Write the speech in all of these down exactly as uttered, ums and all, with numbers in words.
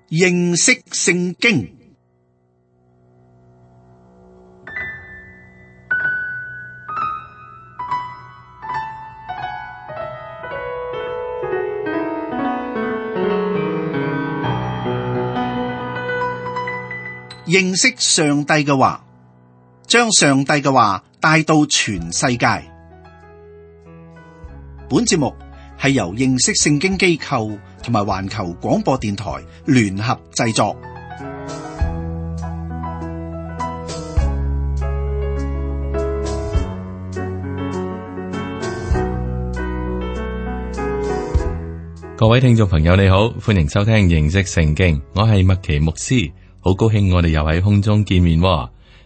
認識聖經。認識上帝嘅話，將上帝嘅話帶到全世界。本節目係由認識聖經機構同埋環球廣播電台聯合製作。各位聽眾朋友你好，歡迎收聽認識聖經，我係麥奇牧師，好高興我哋又喺空中見面。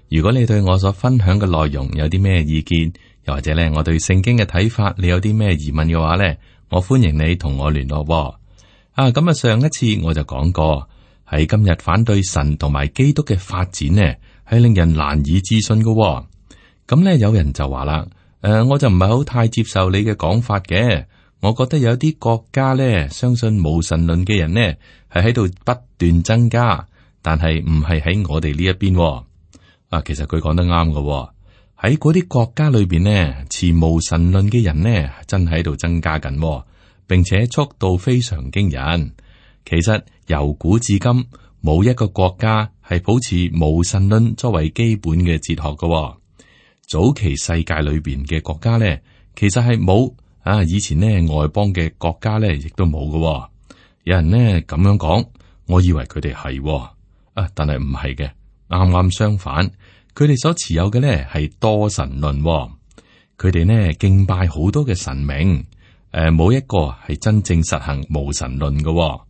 如果你對我所分享嘅內容有啲咩意見，又或者咧我對聖經嘅睇法，你有啲咩疑問嘅話咧，我歡迎你同我聯絡。啊，咁啊，上一次我就講過，喺今日反對神同埋基督嘅發展呢，係令人難以置信嘅。咁咧，有人就話啦，誒、呃，我就唔係好太接受你嘅講法嘅。我覺得有啲國家咧，相信無神論嘅人呢，係喺度不斷增加，但係唔係喺我哋呢一邊。啊，其實佢講得啱嘅，喺嗰啲國家裏邊呢，持無神論嘅人呢，真係喺度增加緊，並且速度非常驚人。其實由古至今，冇一個國家係保持無神論作為基本嘅哲學嘅。早期世界裏邊嘅國家呢，其實係冇。啊！以前呢，外邦嘅國家呢，亦都冇嘅。有人呢咁樣講，我以為佢哋係啊，但係唔係嘅，啱啱相反，佢哋所持有嘅呢係多神論。佢哋呢敬拜好多嘅神明，誒，冇一個係真正實行無神論嘅。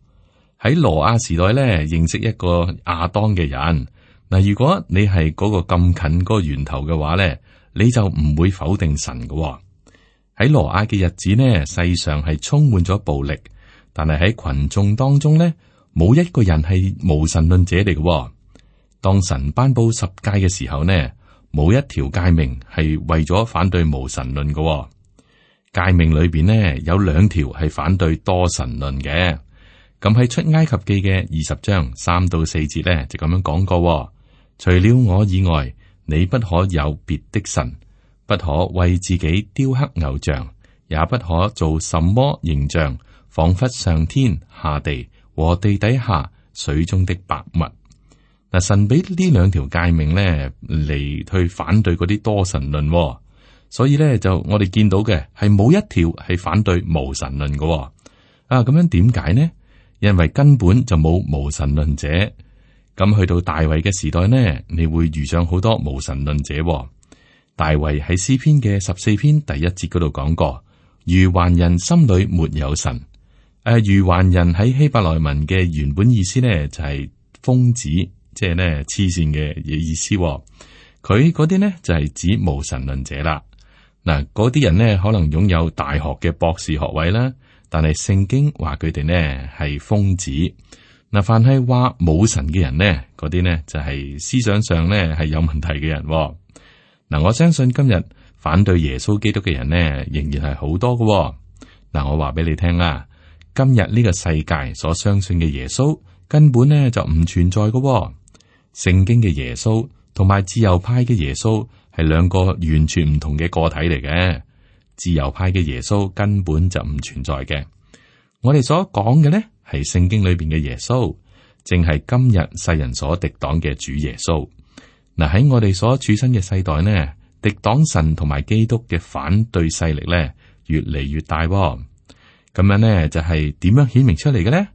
喺羅亞時代呢，認識一個亞當嘅人嗱，如果你係嗰個咁近嗰個源頭嘅話呢，你就唔會否定神嘅。喺羅亞嘅日子呢，世上係充滿咗暴力，但係喺群眾當中呢，冇一個人係無神論者嚟嘅。當神頒布十誡嘅時候呢，冇一條誡命係為咗反對無神論嘅。誡命裏邊呢，有兩條係反對多神論嘅。咁喺出埃及記嘅二十章三到四節呢，就咁樣講過：除了我以外，你不可有別的神。不可為自己雕刻偶像，也不可做什麼形象，仿佛上天下地和地底下水中的百物。嗱，神俾呢兩條誡命咧嚟去反對嗰啲多神論，所以咧就我哋見到嘅係冇一條係反對無神論嘅。啊，咁樣點解呢？因為根本就冇無神論者。咁去到大衛嘅時代呢，你會遇上好多無神論者。大衛喺詩篇嘅十四篇第一節嗰度講過，愚頑人心裏沒有神。誒、呃，愚頑人喺希伯來文嘅原本意思呢，就係、是、瘋子，即係呢黐線嘅意思。佢嗰啲呢，就係、是、指無神論者啦。嗱，嗰啲人呢，可能擁有大學嘅博士學位啦，但係聖經話佢哋呢係瘋子。嗱，凡係話冇神嘅人呢，嗰啲呢就係、是、思想上呢係有問題嘅人。嗱，我相信今日反對耶穌基督嘅人呢，仍然係好多嘅。嗱，我話俾你聽啦，今日呢個世界所相信嘅耶穌根本呢就唔存在嘅。聖經嘅耶穌同埋自由派嘅耶穌係兩個完全唔同嘅個體嚟嘅。自由派嘅耶穌根本就唔存在嘅。我哋所講嘅呢係聖經裏邊嘅耶穌，正係今日世人所敵擋嘅主耶穌。嗱，喺我哋所處身嘅世代呢，敵擋神同埋基督嘅反對勢力咧越嚟越大。咁樣呢，就係點樣顯明出嚟嘅呢？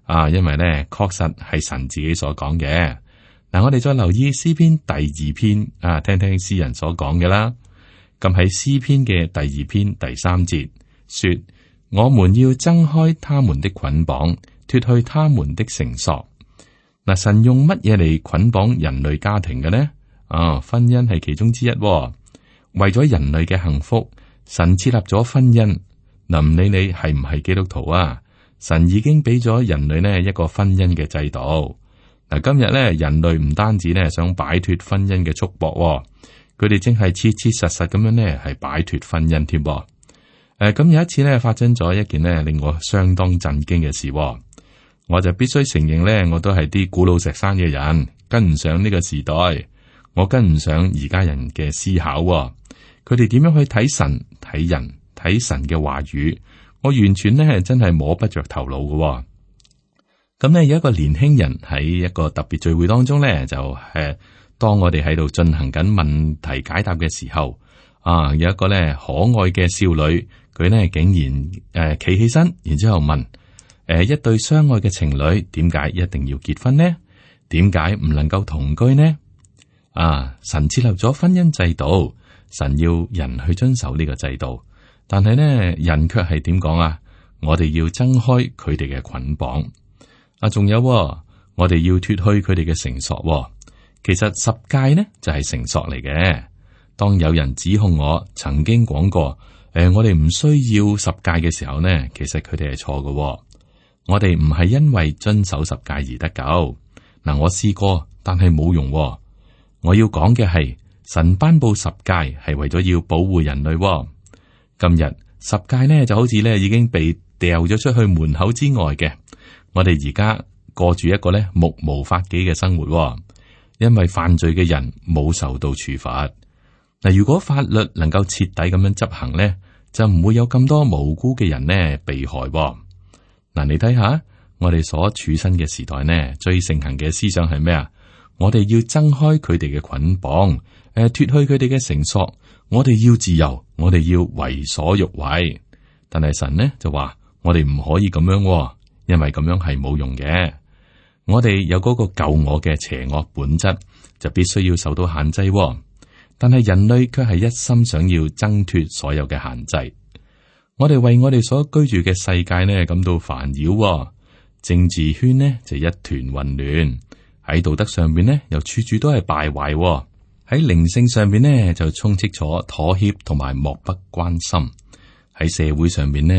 啊，因為呢確實係神自己所講嘅。嗱，我哋再留意詩篇第二篇啊，聽聽詩人所講嘅啦。咁喺詩篇嘅第二篇第三節說：我們要掙開他們的捆綁，脫去他們的繩索。嗱，神用乜嘢嚟捆綁人類家庭嘅呢？啊，婚姻係其中之一。為咗人類嘅幸福，神設立咗婚姻。嗱，唔理你係唔係基督徒啊，神已經俾咗人類呢一個婚姻嘅制度。嗱，今日咧人類唔單止咧想擺脫婚姻嘅束縛，佢哋正係切切實實咁樣咧係擺脫婚姻添。誒，咁有一次咧發生咗一件咧令我相當震驚嘅事。我就必須承認咧，我都係啲古老石山嘅人，跟唔上呢個時代，我跟唔上而家人嘅思考、哦。佢哋點樣去睇神、睇人、睇神嘅話語，我完全咧真係摸不着頭腦嘅、哦。咁咧有一個年輕人喺一個特別聚會當中咧，就誒，當我哋喺度進行緊問題解答嘅時候，啊，有一個咧可愛嘅少女，佢咧竟然誒企起身，然之後問。誒，一對相愛嘅情侶點解一定要結婚呢？點解唔能夠同居呢？啊，神設立咗婚姻制度，神要人去遵守呢個制度，但係呢，人卻係點講啊？我哋要掙開佢哋嘅捆綁。啊，仲有、哦，我哋要脫去佢哋嘅繩索、哦。其實十誡呢就係繩索嚟嘅。當有人指控我曾經講過，誒、呃，我哋唔需要十誡嘅時候呢，其實佢哋係錯嘅。我哋唔係因為遵守十誡而得救。嗱，我試過，但係冇用、哦。我要講嘅係神頒布十誡係為咗要保護人類、哦。今日十誡呢就好似咧已經被掉咗出去門口之外嘅。我哋而家過住一個咧目無法紀嘅生活、哦，因為犯罪嘅人冇受到處罰。嗱，如果法律能夠徹底咁樣執行咧，就唔會有咁多無辜嘅人呢被害、哦。嗱，你睇下，我哋所處身嘅時代呢，最盛行嘅思想係咩啊？我哋要掙開佢哋嘅捆綁，誒、呃，脫去佢哋嘅繩索。我哋要自由，我哋要為所欲為。但係神呢就話，我哋唔可以咁樣、哦，因為咁樣係冇用嘅。我哋有嗰個救我嘅邪惡本質，就必須要受到限制、哦。但係人類卻係一心想要掙脫所有嘅限制。我哋為我哋所居住嘅世界呢感到煩擾、哦，政治圈呢就一團混亂，喺道德上邊呢又處處都係敗壞、哦，喺靈性上邊呢就充斥咗妥協同埋漠不關心，喺社會上邊呢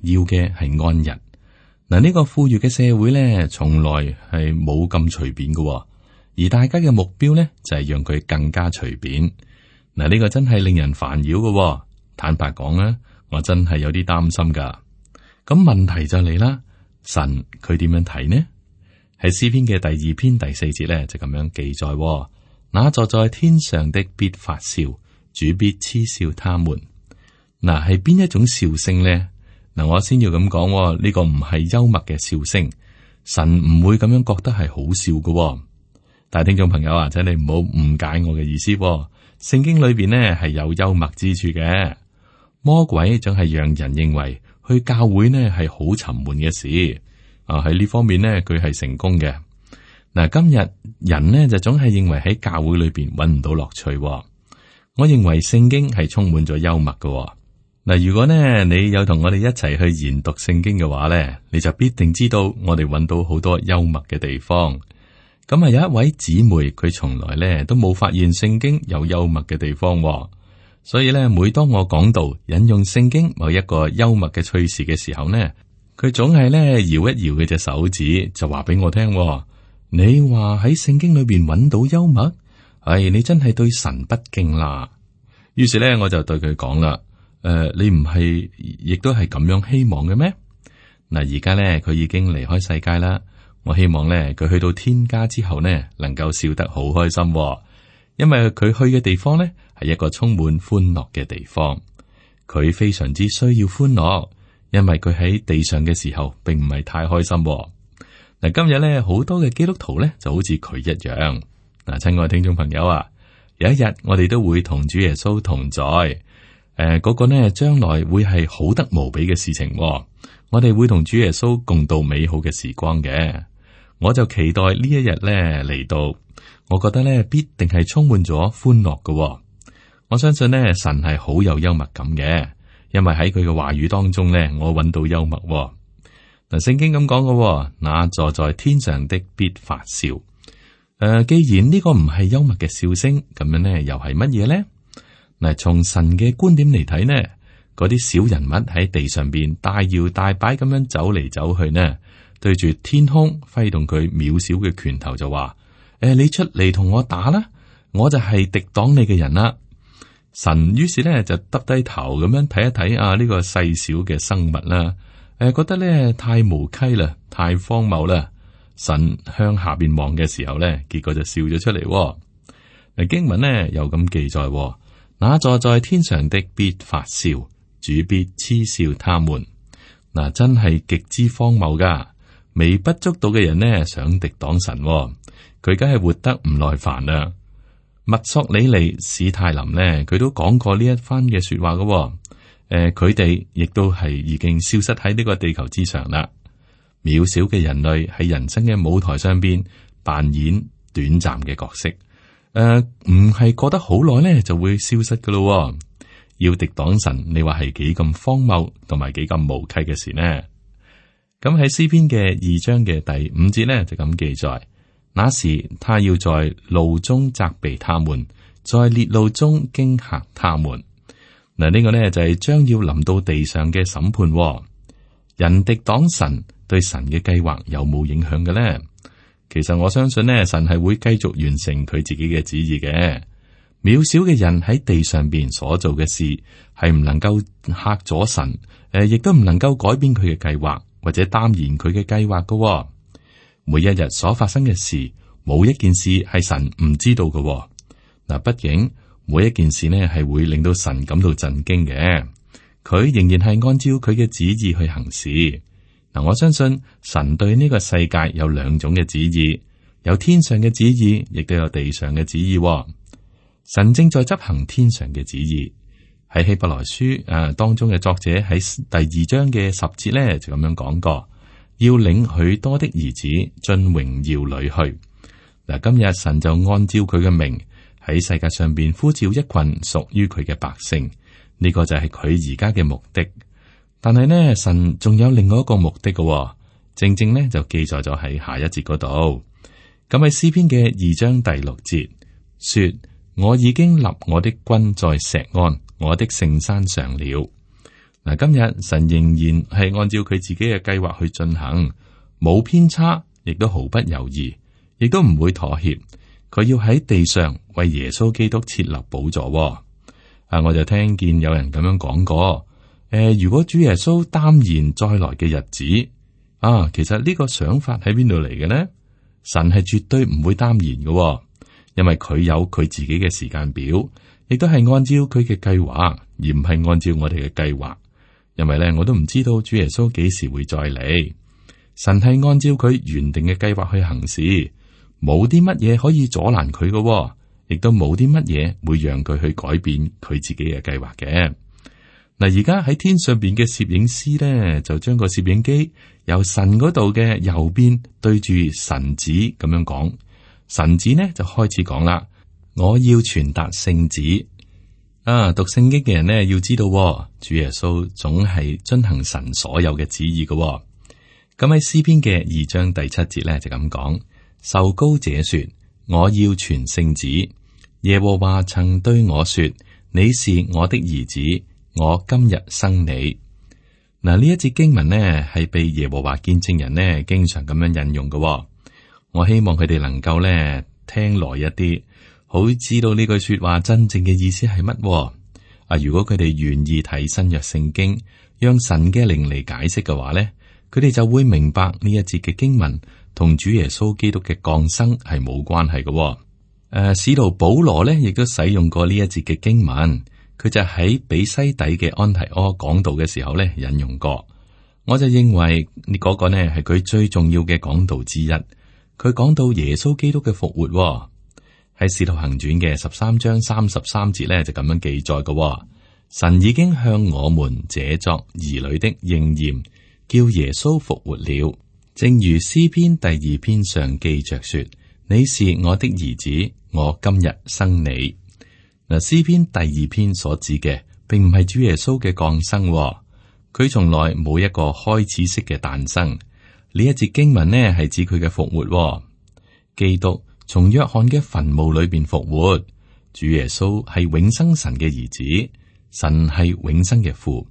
要嘅係安逸。嗱，呢個富裕嘅社會呢從來係冇咁隨便嘅、哦，而大家嘅目標呢就係、是、讓佢更加隨便。嗱，呢個真係令人煩擾嘅、哦。坦白講啊。我真係有啲擔心噶，咁問題就嚟啦。神佢點樣睇呢？喺詩篇嘅第二篇第四節咧就咁樣記載、哦：那坐在天上的必發笑，主必嗤笑他們。嗱，係邊一種笑聲呢？嗱，我先要咁講、哦，呢、這個唔係幽默嘅笑聲，神唔會咁樣覺得係好笑噶、哦。但係聽眾朋友啊，請你唔好誤解我嘅意思、哦。聖經裏邊呢係有幽默之處嘅。魔鬼總係讓人認為去教會呢係好沉悶嘅事啊，喺呢方面呢佢係成功嘅。嗱，今日人呢就總係認為喺教會裏邊揾唔到樂趣。我認為聖經係充滿咗幽默嘅。嗱，如果呢你有同我哋一齊去研讀聖經嘅話呢，你就必定知道我哋揾到好多幽默嘅地方。咁啊，有一位姊妹佢從來呢都冇發現聖經有幽默嘅地方。所以咧，每當我講到引用聖經某一個幽默嘅趣事嘅時候呢，佢總係咧搖一搖佢隻手指，就話俾我聽：你話喺聖經裏邊揾到幽默，唉、哎，你真係對神不敬啦。於是咧，我就對佢講啦：誒、呃，你唔係亦都係咁樣希望嘅咩？嗱，而家咧佢已經離開世界啦。我希望咧佢去到天家之後呢，能夠笑得好開心、哦。因為佢去嘅地方呢，係一個充滿歡樂嘅地方，佢非常之需要歡樂，因為佢喺地上嘅時候並唔係太開心。嗱，今日呢，好多嘅基督徒呢就好似佢一樣。嗱，親愛聽眾朋友啊，有一日我哋都會同主耶穌同在，誒、呃，嗰、那個呢將來會係好得無比嘅事情。我哋會同主耶穌共度美好嘅時光嘅，我就期待呢一日呢嚟到。我覺得咧必定係充滿咗歡樂嘅、哦。我相信咧神係好有幽默感嘅，因為喺佢嘅話語當中咧，我揾到幽默、哦。嗱，聖經咁講嘅，那坐在天上的必發笑。誒、呃，既然呢個唔係幽默嘅笑聲，咁樣咧又係乜嘢咧？嗱，從神嘅觀點嚟睇呢，嗰啲小人物喺地上邊大搖大擺咁樣走嚟走去呢，對住天空揮動佢渺小嘅拳頭就話。誒，你出嚟同我打啦，我就係敵擋你嘅人啦。神於是咧就耷低頭咁樣睇一睇啊呢個細小嘅生物啦。誒，覺得咧太無稽啦，太荒謬啦。神向下邊望嘅時候咧，結果就笑咗出嚟。嗱，經文呢又咁記載：那坐在天上的必發笑，主必嗤笑他們。嗱，真係極之荒謬噶。微不足道嘅人呢，想敵擋神，佢梗係活得唔耐煩啦。墨索里尼、史泰林呢，佢都講過呢一番嘅說話噶。誒，佢哋亦都係已經消失喺呢個地球之上啦。渺小嘅人類喺人生嘅舞台上邊扮演短暫嘅角色，誒、呃，唔係過得好耐咧就會消失噶咯。要敵擋神，你話係幾咁荒謬同埋幾咁無稽嘅事呢？咁喺詩篇嘅二章嘅第五節咧就咁記載：那時他要在路中責備他們，在烈怒中驚嚇他們。嗱，呢個呢就係將要臨到地上嘅審判。人敵擋神，對神嘅計劃有冇影響嘅呢？其實我相信呢，神係會繼續完成佢自己嘅旨意嘅。渺小嘅人喺地上邊所做嘅事，係唔能夠嚇咗神，誒，亦都唔能夠改變佢嘅計劃，或者擔延佢嘅計劃嘅。每一日所發生嘅事，冇一件事係神唔知道嘅。嗱，畢竟。每一件事呢係會令到神感到震驚嘅，佢仍然係按照佢嘅旨意去行事。嗱，我相信神對呢個世界有兩種嘅旨意，有天上嘅旨意，亦都有地上嘅旨意。神正在執行天上嘅旨意。喺希伯來書誒當中嘅作者喺第二章嘅十節咧就咁樣講過，要領許多的兒子進榮耀裏去。嗱，今日神就按照佢嘅名。喺世界上邊呼召一群屬於佢嘅百姓，呢、這個就係佢而家嘅目的。但係呢，神仲有另外一個目的嘅、哦，正正呢就記載咗喺下一節嗰度。咁喺詩篇嘅二章第六節說：我已經立我的君在錫安，我的聖山上了。嗱，今日神仍然係按照佢自己嘅計劃去進行，冇偏差，亦都毫不猶豫，亦都唔會妥協。佢要喺地上為耶穌基督設立寶座、哦。啊，我就聽見有人咁樣講過。誒、呃，如果主耶穌擔延再來嘅日子，啊，其實呢個想法喺邊度嚟嘅呢？神係絕對唔會擔延嘅、哦，因為佢有佢自己嘅時間表，亦都係按照佢嘅計劃，而唔係按照我哋嘅計劃。因為咧，我都唔知道主耶穌幾時會再嚟。神係按照佢原定嘅計劃去行事。冇啲乜嘢可以阻攔佢嘅，亦都冇啲乜嘢會讓佢去改變佢自己嘅計劃嘅。嗱，而家喺天上邊嘅攝影師咧，就將個攝影機由神嗰度嘅右邊對住神子咁樣講，神子呢就開始講啦：我要傳達聖旨。啊，讀聖經嘅人呢，要知道，主耶穌總係遵行神所有嘅旨意嘅。咁喺詩篇嘅二章第七節咧就咁講。受膏者說：我要傳聖旨。耶和華曾對我說：你是我的兒子，我今日生你。嗱，呢一節經文呢係被耶和華見證人呢經常咁樣引用嘅。我希望佢哋能夠呢聽耐一啲，好知道呢句說話真正嘅意思係乜。啊，如果佢哋願意睇新約聖經，讓神嘅靈嚟解釋嘅話呢，佢哋就會明白呢一節嘅經文。同主耶穌基督嘅降生係冇關係嘅。誒、呃，使徒保羅咧亦都使用過呢一節嘅經文，佢就喺比西底嘅安提阿講道嘅時候咧引用過。我就認為呢嗰個呢係佢最重要嘅講道之一。佢講到耶穌基督嘅復活喺、哦、使徒行傳嘅十三章三十三節咧就咁樣記載嘅、哦。神已經向我們這作兒女的應驗，叫耶穌復活了。正如詩篇第二篇上記着說：你是我的兒子，我今日生你。嗱，詩篇第二篇所指嘅，並唔係主耶穌嘅降生、哦，佢從來冇一個開始式嘅誕生。呢一節經文呢係指佢嘅復活、哦。基督從約翰嘅墳墓裏邊復活，主耶穌係永生神嘅兒子，神係永生嘅父。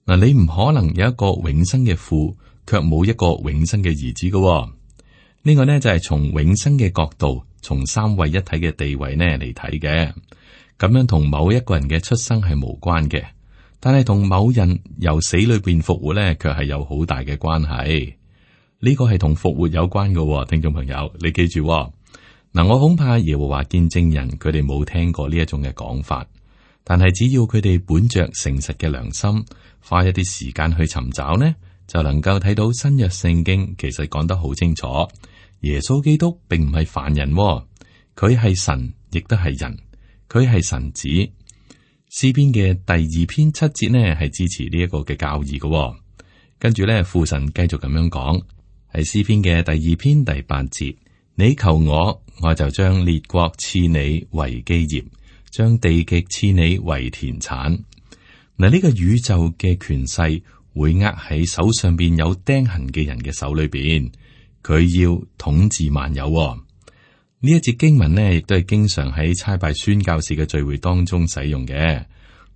嗱，你唔可能有一個永生嘅父，卻冇一個永生嘅兒子嘅、哦，呢、這個呢就係、是、從永生嘅角度，從三位一體嘅地位呢嚟睇嘅，咁樣同某一個人嘅出生係無關嘅。但係同某人由死裏邊復活咧，卻係有好大嘅關係。呢個係同復活有關嘅，聽眾朋友，你記住嗱。我恐怕耶和華見證人佢哋冇聽過呢一種嘅講法，但係只要佢哋本着誠實嘅良心，花一啲時間去尋找呢，就能夠睇到新約聖經其實講得好清楚。耶穌基督並唔係凡人，佢係神，亦都係人，佢係神子。詩篇嘅第二篇七節呢，係支持呢一個嘅教義嘅。跟住咧，父神繼續咁樣講，係詩篇嘅第二篇第八節，你求我，我就將列國賜你為基業，將地極賜你為田產。嗱，呢個宇宙嘅權勢會握喺手上邊有釘痕嘅人嘅手裏邊，佢要統治萬有。呢一節經文呢，亦都係經常喺差派宣教士嘅聚會當中使用嘅。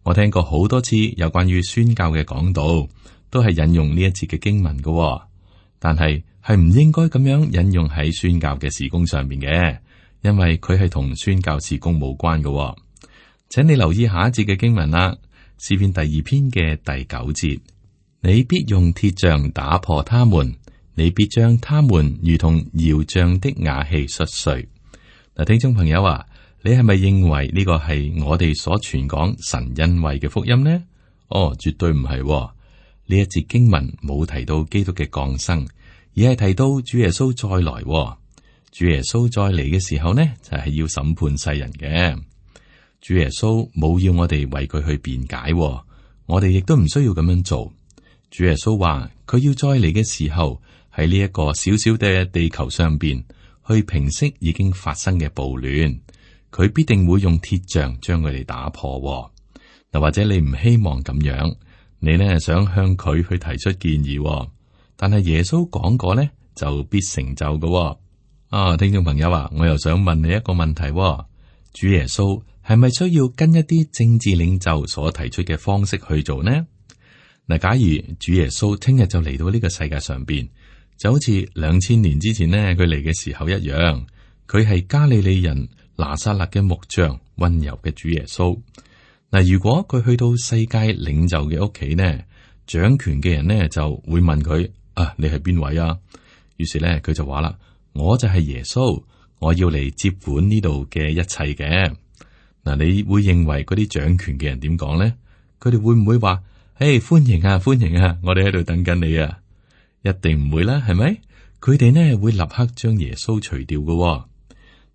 我聽過好多次有關於宣教嘅講道，都係引用呢一節嘅經文嘅。但係係唔應該咁樣引用喺宣教嘅事工上面嘅，因為佢係同宣教事工無關嘅。請你留意下一節嘅經文啦，詩篇第二篇嘅第九節，你必用鐵杖打破他們，你必將他們如同窯匠的瓦器摔碎。嗱，聽眾朋友啊，你係咪認為呢個係我哋所傳講神恩惠嘅福音呢？哦，絕對唔係。呢一節經文冇提到基督嘅降生，而係提到主耶穌再來。主耶穌再嚟嘅時候呢，就係要審判世人嘅。主耶穌冇要我哋為佢去辯解，我哋亦都唔需要咁樣做。主耶穌話佢要再嚟嘅時候，喺呢一個小小嘅地球上邊去平息已經發生嘅暴亂，佢必定會用鐵杖將佢哋打破。嗱，或者你唔希望咁樣，你呢想向佢去提出建議，但係耶穌講過呢，就必成就嘅。啊，聽眾朋友啊，我又想問你一個問題：主耶穌係咪需要跟一啲政治領袖所提出嘅方式去做呢？嗱，假如主耶穌聽日就嚟到呢個世界上邊，就好似兩千年之前呢，佢嚟嘅時候一樣，佢係加利利人拿撒勒嘅木匠，溫柔嘅主耶穌。嗱，如果佢去到世界領袖嘅屋企呢，掌權嘅人呢就會問佢：啊，你係邊位啊？於是呢，佢就話啦：我就係耶穌，我要嚟接管呢度嘅一切嘅。嗱，你會認為嗰啲掌權嘅人點講呢？佢哋會唔會話：誒，歡迎啊，歡迎啊，我哋喺度等緊你啊？一定唔會啦，係咪？佢哋呢會立刻將耶穌除掉嘅。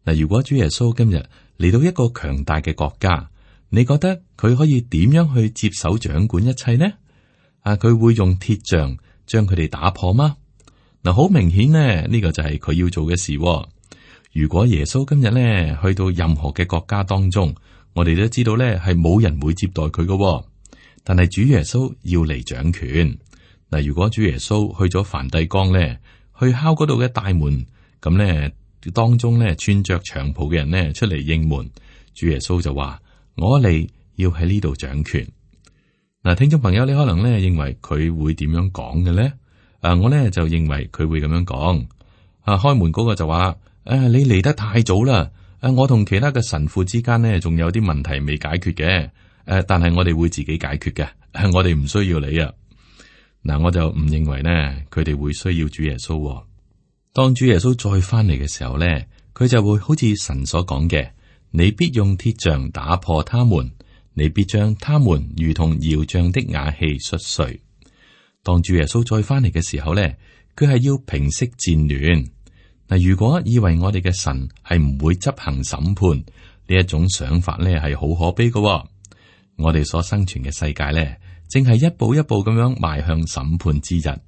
嗱，如果主耶穌今日嚟到一個強大嘅國家，你覺得佢可以點樣去接手掌管一切呢？啊，佢會用鐵杖將佢哋打破嗎？嗱，好明顯呢，呢個就係佢要做嘅事。如果耶穌今日呢去到任何嘅國家當中，我哋都知道呢係冇人會接待佢嘅。但係主耶穌要嚟掌權。嗱，如果主耶穌去咗梵蒂岡咧，去敲嗰度嘅大門，咁咧當中咧穿着長袍嘅人咧出嚟應門，主耶穌就話：我嚟要喺呢度掌權。嗱，聽眾朋友，你可能咧認為佢會點樣講嘅咧？啊，我咧就認為佢會咁樣講。啊，開門嗰個就話：誒、啊，你嚟得太早啦！誒、啊，我同其他嘅神父之間呢，仲有啲問題未解決嘅。誒、啊，但係我哋會自己解決嘅、啊，我哋唔需要你啊。嗱，我就唔認為呢，佢哋會需要主耶穌。當主耶穌再翻嚟嘅時候咧，佢就會好似神所講嘅：你必用鐵杖打破他們，你必將他們如同窯匠的瓦器摔碎。當主耶穌再翻嚟嘅時候咧，佢係要平息戰亂。嗱，如果以為我哋嘅神係唔會執行審判呢一種想法咧，係好可悲嘅。我哋所生存嘅世界咧，正係一步一步咁樣邁向審判之日，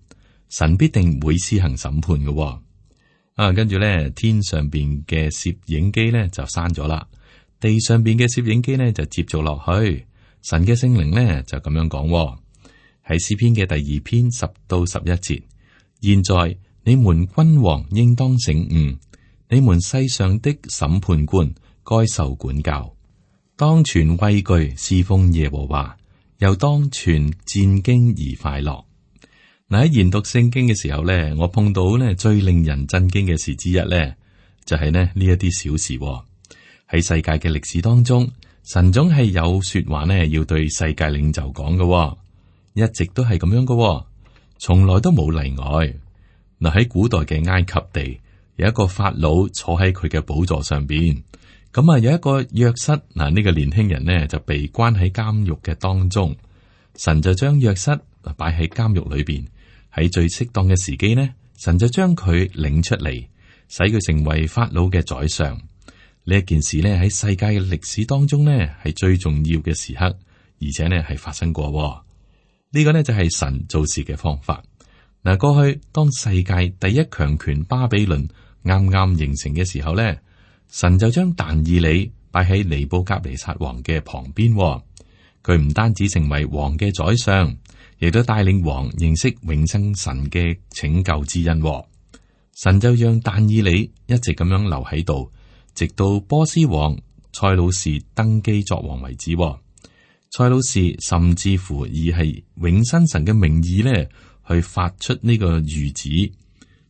神必定會施行審判嘅、哦。啊，跟住咧，天上邊嘅攝影機咧就閂咗啦，地上邊嘅攝影機咧就接續落去。神嘅聖靈咧就咁樣講、哦，喺詩篇嘅第二篇十到十一節。現在你們君王應當醒悟，你們世上的審判官該受管教，當存畏懼侍奉耶和華。又當存戰兢而快樂。嗱，喺研讀聖經嘅時候咧，我碰到咧最令人震驚嘅事之一咧，就係咧呢一啲小事喎。喺世界嘅歷史當中，神總係有說話呢，要對世界領袖講嘅，一直都係咁樣嘅，從來都冇例外。嗱，喺古代嘅埃及地，有一個法老坐喺佢嘅寶座上邊，咁啊有一個約瑟，嗱、這、呢個年輕人呢就被關喺監獄嘅當中，神就將約瑟擺喺監獄裏邊，喺最適當嘅時機呢，神就將佢領出嚟，使佢成為法老嘅宰相。呢一件事呢，喺世界嘅歷史當中呢，係最重要嘅時刻，而且呢係發生過。呢、這個呢就係神做事嘅方法。嗱，過去當世界第一強權巴比倫啱啱形成嘅時候呢，神就將但以理擺喺尼布甲尼撒王嘅旁邊。佢唔單止成為王嘅宰相，亦都帶領王認識永生神嘅拯救之恩。神就讓但以理一直咁樣留喺度，直到波斯王塞魯士登基作王為止。塞魯士甚至乎以係永生神嘅名義咧，去發出呢個諭旨。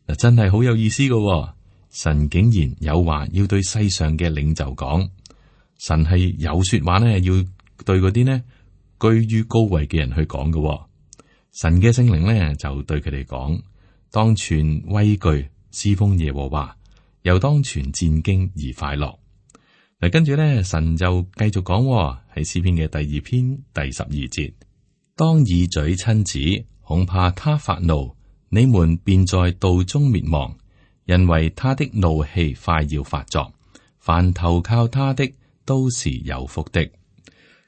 嗱，真係好有意思噶。神竟然有話要對世上嘅領袖講，神係有說話呢，要對嗰啲呢居於高位嘅人去講嘅。神嘅聖靈呢，就對佢哋講，當存畏懼侍奉耶和華，又當存戰兢而快樂。嗱，跟住咧，神就繼續講喺詩篇嘅第二篇第十二節，當以嘴親子，恐怕他發怒，你們便在道中滅亡，因為他的怒氣快要發作，凡投靠他的都是有福的。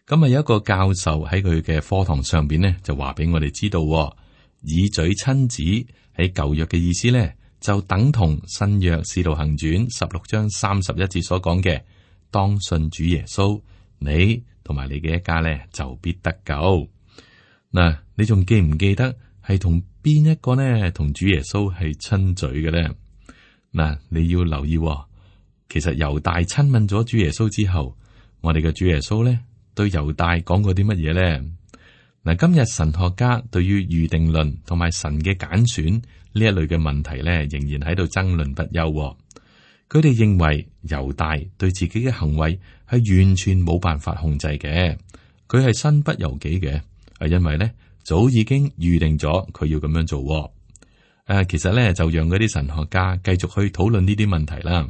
咁啊，有一個教授喺佢嘅課堂上邊呢，就話俾我哋知道，以嘴親子喺舊約嘅意思呢，就等同新約使徒行傳十六章三十一節所講嘅，當信主耶穌，你同埋你嘅一家咧就必得救。嗱，你仲記唔記得係同邊一個呢？同主耶穌係親嘴嘅咧？嗱，你要留意，其實猶大親吻咗主耶穌之後，我哋嘅主耶穌咧對猶大講過啲乜嘢咧？嗱，今日神學家對於預定論同埋神嘅揀選呢一類嘅問題咧，仍然喺度爭論不休。佢哋認為猶大對自己嘅行為係完全冇辦法控制嘅，佢係身不由己嘅，係因為咧早已經預定咗佢要咁樣做。誒、啊，其實咧就讓嗰啲神學家繼續去討論呢啲問題啦。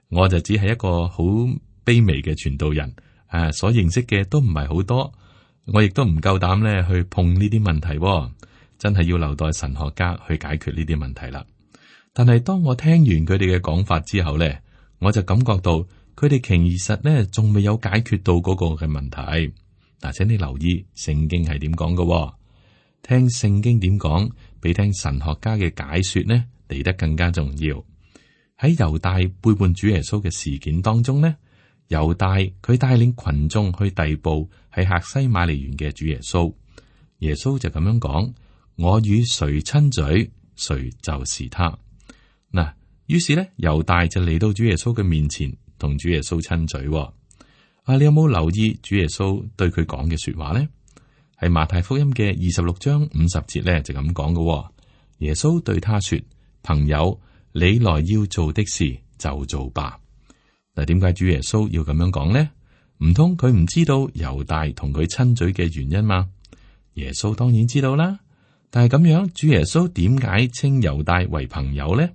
我就只係一個好卑微嘅傳道人，誒、啊，所認識嘅都唔係好多，我亦都唔夠膽咧去碰呢啲問題，真係要留待神學家去解決呢啲問題啦。但係當我聽完佢哋嘅講法之後咧，我就感覺到佢哋其實咧仲未有解決到嗰個嘅問題。嗱，請你留意聖經係點講嘅，聽聖經點講，比聽神學家嘅解說呢嚟得更加重要。喺猶大背叛主耶穌嘅事件當中呢，猶大佢帶領群眾去逮捕喺客西馬尼園嘅主耶穌，耶穌就咁樣講：我與誰親嘴，誰就是他。嗱，於是咧，猶大就嚟到主耶穌嘅面前，同主耶穌親嘴。啊，你有冇留意主耶穌對佢講嘅說話咧？係馬太福音嘅二十六章五十節咧，就咁講嘅。耶穌對他說：朋友，你來要做的事就做吧。嗱，點解主耶穌要咁樣講呢？唔通佢唔知道猶大同佢親嘴嘅原因嗎？耶穌當然知道啦。但係咁樣，主耶穌點解稱猶大為朋友呢？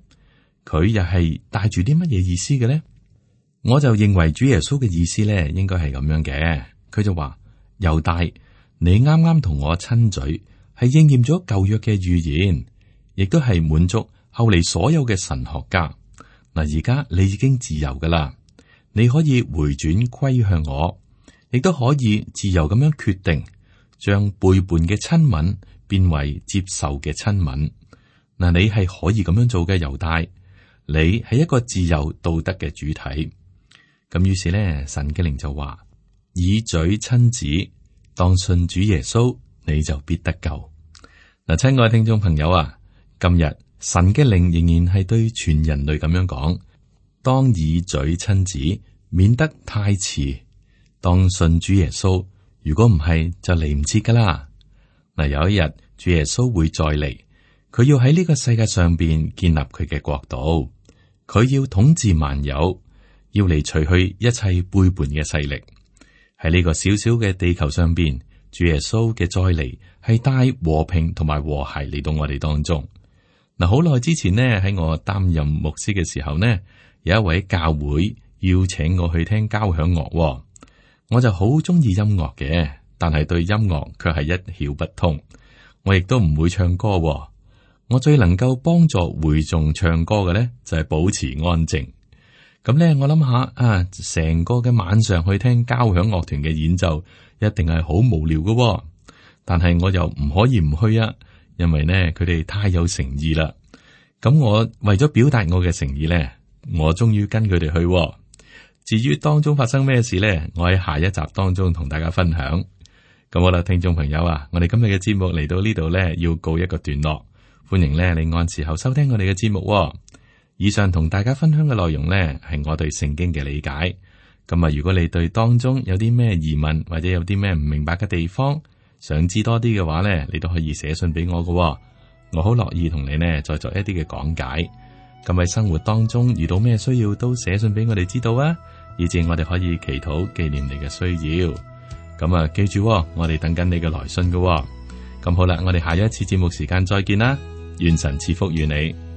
佢又係帶住啲乜嘢意思嘅呢？我就認為主耶穌嘅意思咧，應該係咁樣嘅。佢就話：猶大，你啱啱同我親嘴，係應驗咗舊約嘅預言，亦都係滿足後嚟所有嘅神學家。嗱，而家你已經自由噶啦，你可以回轉歸向我，亦都可以自由咁樣決定，將背叛嘅親吻變為接受嘅親吻。嗱，你係可以咁樣做嘅，猶大。你係一個自由道德嘅主體，咁於是咧，神嘅靈就話：以嘴親子，當信主耶穌，你就必得救。嗱，親愛聽眾朋友啊，今日神嘅靈仍然係對全人類咁樣講：當以嘴親子，免得太遲。當信主耶穌，如果唔係就嚟唔切噶啦。嗱，有一日主耶穌會再嚟，佢要喺呢個世界上邊建立佢嘅國度。佢要統治萬有，要嚟除去一切背叛嘅勢力。喺呢個小小嘅地球上邊，主耶穌嘅再嚟係帶和平同埋和諧嚟到我哋當中。嗱，好耐之前呢，喺我擔任牧師嘅時候呢，有一位教會邀請我去聽交響樂，我就好中意音樂嘅，但係對音樂卻係一竅不通。我亦都唔會唱歌，我最能夠幫助會眾唱歌嘅呢，就係保持安靜。咁呢，我諗下啊，成個嘅晚上去聽交響樂團嘅演奏，一定係好無聊嘅。但係我又唔可以唔去啊，因為呢，佢哋太有誠意啦。咁我為咗表達我嘅誠意呢，我終於跟佢哋去。至於當中發生咩事呢，我喺下一集當中同大家分享。咁好啦，聽眾朋友啊，我哋今日嘅節目嚟到呢度呢，要告一個段落。歡迎呢，你按時候收聽我哋嘅節目。以上同大家分享嘅內容呢，係我對聖經嘅理解。咁啊，如果你對當中有啲咩疑問或者有啲咩唔明白嘅地方，想知多啲嘅話呢，你都可以寫信俾我㗎。我好樂意同你呢再作一啲嘅講解。咁喺生活當中遇到咩需要，都寫信俾我哋知道啊，以至我哋可以祈禱紀念你嘅需要。咁啊，記住，我哋等緊你嘅來信㗎。咁好啦，我哋下一次節目時間再見啦，願神賜福於你。